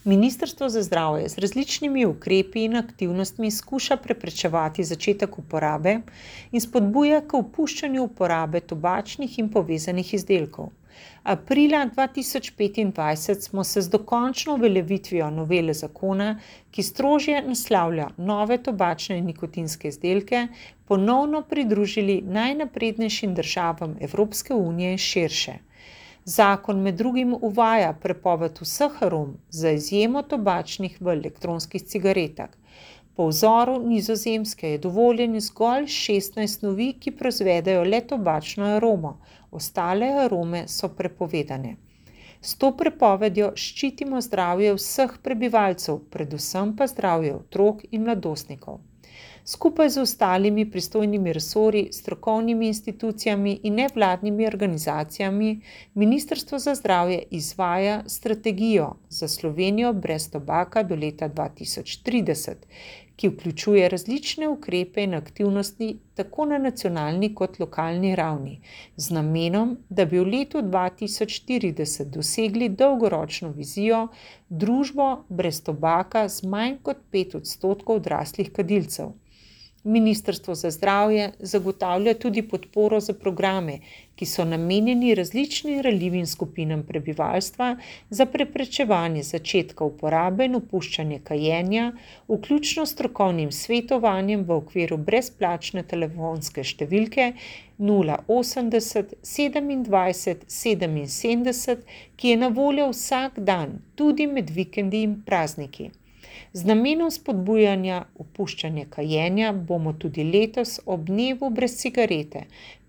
Ministrstvo za zdravje z različnimi ukrepi in aktivnostmi skuša preprečevati začetek uporabe in spodbuja k opuščanju uporabe tobačnih in povezanih izdelkov. Aprila 2025 smo se z dokončno uveljavitvijo novele zakona, ki strožje naslavlja nove tobačne in nikotinske izdelke, ponovno pridružili najnaprednejšim državam Evropske unije in širše. Zakon med drugim uvaja prepoved vseh arom za izjemo tobačnih v elektronskih cigaretah. Po vzoru Nizozemske je dovoljen zgolj 16 snovi, ki proizvedejo le tobačno aromo, ostale arome so prepovedane. S to prepovedjo ščitimo zdravje vseh prebivalcev, predvsem pa zdravje otrok in mladostnikov. Skupaj z ostalimi pristojnimi resorji, strokovnimi institucijami in nevladnimi organizacijami Ministrstvo za zdravje izvaja strategijo za Slovenijo brez tobaka do leta 2030, ki vključuje različne ukrepe in aktivnosti tako na nacionalni kot lokalni ravni, z namenom, da bi v letu 2040 dosegli dolgoročno vizijo družbo brez tobaka z manj kot 5% odraslih kadilcev. Ministrstvo za zdravje zagotavlja tudi podporo za programe, ki so namenjeni različnim ranljivim skupinam prebivalstva za preprečevanje začetka uporabe in opuščanje kajenja, vključno s strokovnim svetovanjem v okviru brezplačne telefonske številke 080 27 77, ki je na voljo vsak dan, tudi med vikendi in prazniki. Z namenom spodbujanja opuščanja kajenja bomo tudi letos ob dnevu brez cigarete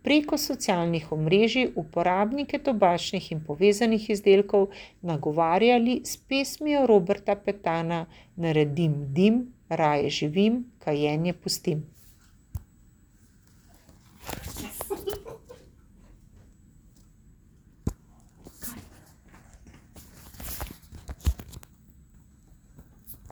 preko socialnih omrežij uporabnike tobačnih in povezanih izdelkov nagovarjali s pesmijo Roberta Petana Naredim dim, raje živim, kajenje pustim.